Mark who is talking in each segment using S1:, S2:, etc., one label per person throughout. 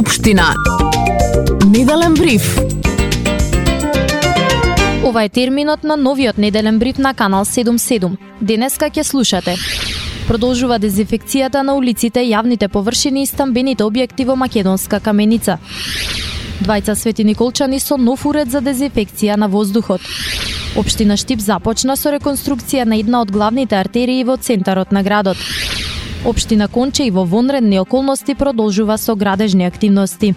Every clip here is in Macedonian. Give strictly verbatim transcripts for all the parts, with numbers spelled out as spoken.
S1: Општина. Неделен бриф.
S2: Ова е терминот на новиот неделен бриф на Канал седум седум. Денеска ќе слушате: продолжува дезинфекцијата на улиците, јавните површини и стамбените објекти во Македонска Каменица. Двајца светиниколчани со нов уред за дезинфекција на воздухот. Општина Штип започна со реконструкција на една од главните артерии во центарот на градот. Општина Конче и во вонредни околности продолжува со градежни активности.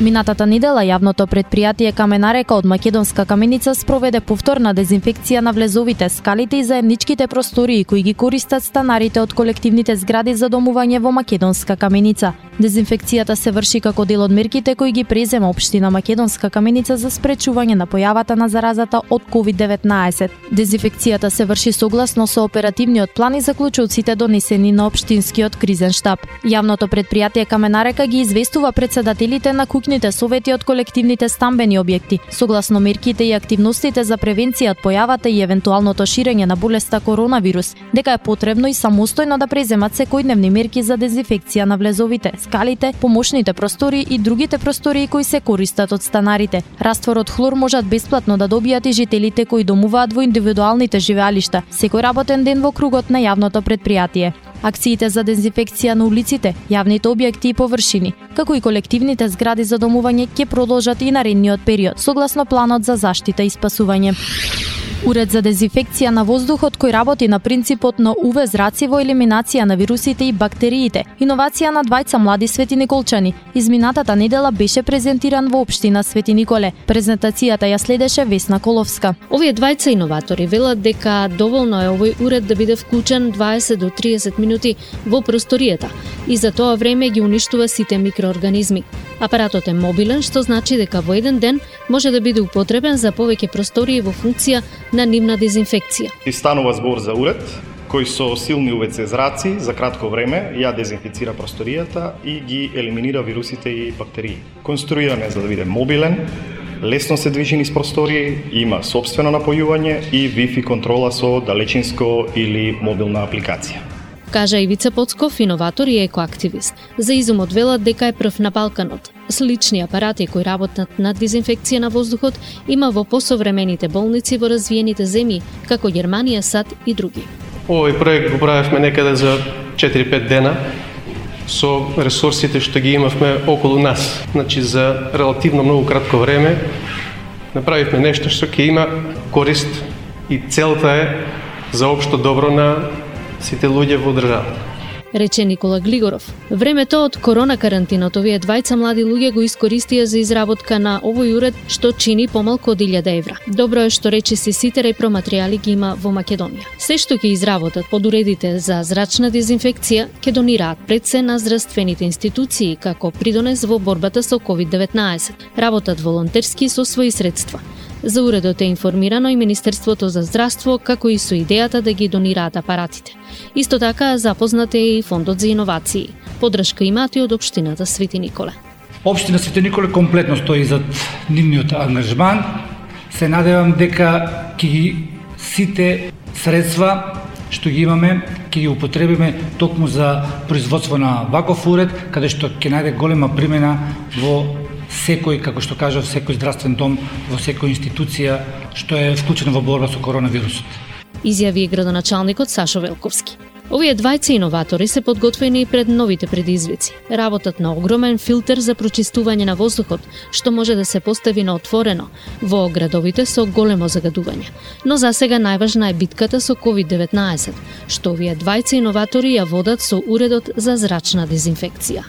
S2: Минатата недела јавното претпријатие Каменарека од Македонска Каменица спроведе повторна дезинфекција на влезовите, скалите и заедничките простории кои ги користат станарите од колективните згради за домување во Македонска Каменица. Дезинфекцијата се врши како дел од мерките кои ги презема Општина Македонска Каменица за спречување на појавата на заразата од ковид деветнаесет. Дезинфекцијата се врши согласно со оперативниот план и заклучоците донесени на Општинскиот кризен штаб. Јавното претпријатие Каменарека ги известува претседателите на куќните совети од колективните стамбени објекти, согласно мерките и активностите за превенција од појавата и евентуалното ширење на болеста коронавирус, дека е потребно и самостојно да преземат секојдневни мерки за дезинфекција на влезовите, скалите, помошните простории и другите простории кои се користат од станарите. Растворот хлор можат бесплатно да добијат и жителите кои домуваат во индивидуалните живеалишта, секој работен ден во кругот на јавното претпријатие. Акциите за дезинфекција на улиците, јавните објекти и површини, како и колективните згради за домување ќе продолжат и наредниот период, согласно планот за заштита и спасување. Уред за дезинфекција на воздухот кој работи на принципот на У В зраци во елиминација на вирусите и бактериите, иновација на двајца млади светиниколчани, изминатата недела беше презентиран во Општина Свети Николе. Презентацијата ја следеше Весна Коловска.
S3: Овие двајца иноватори велат дека доволно е овој уред да биде вклучен дваесет до триесет минути во просторијата и за тоа време ги уништува сите микроорганизми. Апаратот е мобилен, што значи дека во еден ден може да биде употребен за повеќе простории во функција на нивна дезинфекција.
S4: И станува збор за уред кој со силни У В Це зраци за кратко време ја дезинфицира просторијата и ги елиминира вирусите и бактерии. Конструиран е за да биде мобилен, лесно се движи низ простории, има сопствено напојување и Wi-Fi контрола со далечинско или мобилна апликација.
S3: Кажа Ивица Поцков, иноватор и екоактивист. За изумот велат дека е прв на Балканот. Слични апарати кои работат на дезинфекција на воздухот има во посовремените болници во развиените земји, како Германија, САД и други.
S5: Овој проект го правевме некаде за четири-пет дена со ресурсите што ги имавме околу нас. Значи за релативно многу кратко време направивме нешто што ќе има корист и целта е за општо добро на сите луѓе во државата.
S3: Рече Никола Глигоров. Времето од корона карантинот овие двајца млади луѓе го искористија за изработка на овој уред што чини помалку од илјада евра. Добро е што речиси сите репроматеријали ги има во Македонија. Се што ќе изработат под уредите за зрачна дезинфекција ќе донираат пред се на здравствените институции како придонес во борбата со ковид деветнаесет. Работат волонтерски со своји средства. За уредот е информирано и Министерството за здравство, како и со идејата да ги донираат апаратите. Исто така запознат е и Фондот за иновации. Подршка имаат и од Општината Свети Николе.
S6: Општина Свети Николе комплетно стои зад нивниот ангажман. Се надевам дека ќе ги сите средства што ги имаме, ќе ги употребиме токму за производство на ваков уред, каде што ќе најде голема примена во секој, како што кажав, секој здравствен дом, во секој институција што е вклучена во борба со коронавирусот.
S3: Изјави градоначалникот Сашо Велковски. Овие двајца иноватори се подготвени пред новите предизвици. Работат на огромен филтер за прочистување на воздухот, што може да се постави на отворено во градовите со големо загадување. Но за сега најважна е битката со ковид деветнаесет, што овие двајца иноватори ја водат со уредот за зрачна дезинфекција.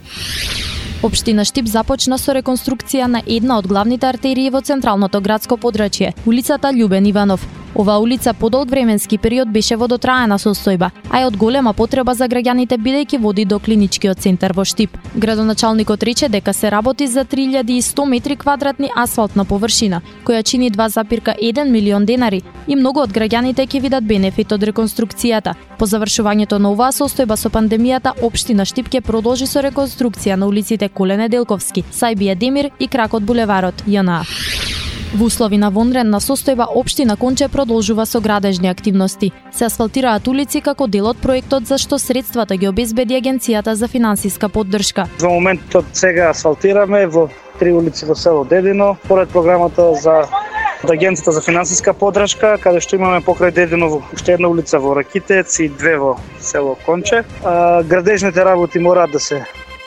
S2: Општина Штип започна со реконструкција на една од главните артерии во централното градско подрачје, улицата Љубен Иванов. Оваа улица подолг временски период беше во дотраена состојба, а е од голема потреба за граѓаните бидејќи води до клиничкиот центар во Штип. Градоначалникот рече дека се работи за три илјади и сто метри квадратни асфалтна површина, која чини два зарез еден милион денари и многу од граѓаните ќе видат бенефит од реконструкцијата. По завршувањето на оваа состојба со пандемијата, Општина Штип ќе продолжи со реконструкција на улиците Колене Делковски, Сајбија Демир и кракот булеварот Ја Н А. Во услови на вонредна состојба, општина Конче продолжува со градежни активности. Се асфалтираат улици како дел од проектот за што средствата ги обезбеди Агенцијата за финансиска поддршка.
S7: Во моментот сега асфалтираме во три улици во село Дедино, поред програмата за од Агенцијата за финансиска поддршка, каде што имаме покрај Дедино уште една улица во Ракитец и две во село Конче. А, градежните работи мораат да се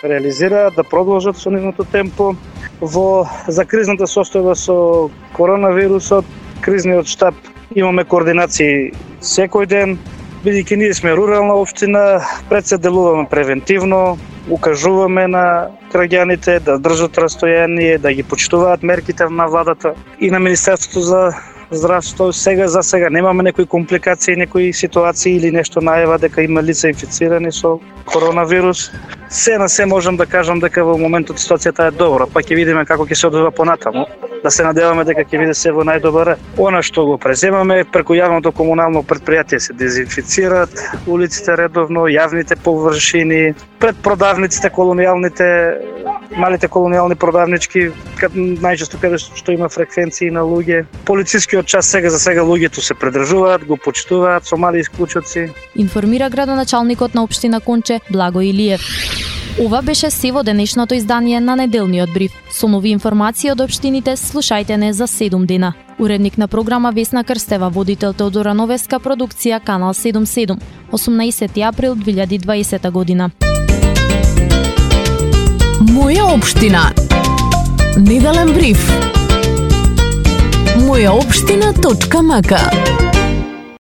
S7: реализираат, да продолжат со нивното темпо. Во за кризната состојба со коронавирусот, кризниот штаб имаме координации секој ден, бидејќи ние сме рурална општина, пред се делуваме превентивно, укажуваме на граѓаните да држат растојание, да ги почитуваат мерките на владата и на Министерството за здравство. Сега за сега немаме некои компликации, некои ситуации или нешто најава дека има лица инфицирани со коронавирус. Се на се можам да кажам дека во моментот ситуацијата е добра, па ќе видиме како ќе се одвива понатаму. Да се надеваме дека ќе биде се во најдобар ред. Она што го преземаме преку јавното комунално предпријатие се дезинфицираат улиците редовно, јавните површини, пред продавниците колонијалните, малите колонијални продавнички, најчесто каде што има фреквенции на луѓе. Полицискиот час сега за сега луѓето се придржуваат, го почитуваат со мали исклучоци.
S2: Информира градоначалникот на општина Конче Благо Илиев. Ова беше се во денешното издание на неделниот бриф. Со нови информации од општините слушајте не за седум дена. Уредник на програма Весна Крстева, водител Теодора Новеска, продукција Канал седумдесет и седум, осумнаесети април две илјади и дваесета година.
S1: Моја општина. Неделен бриф. моја општина точка мака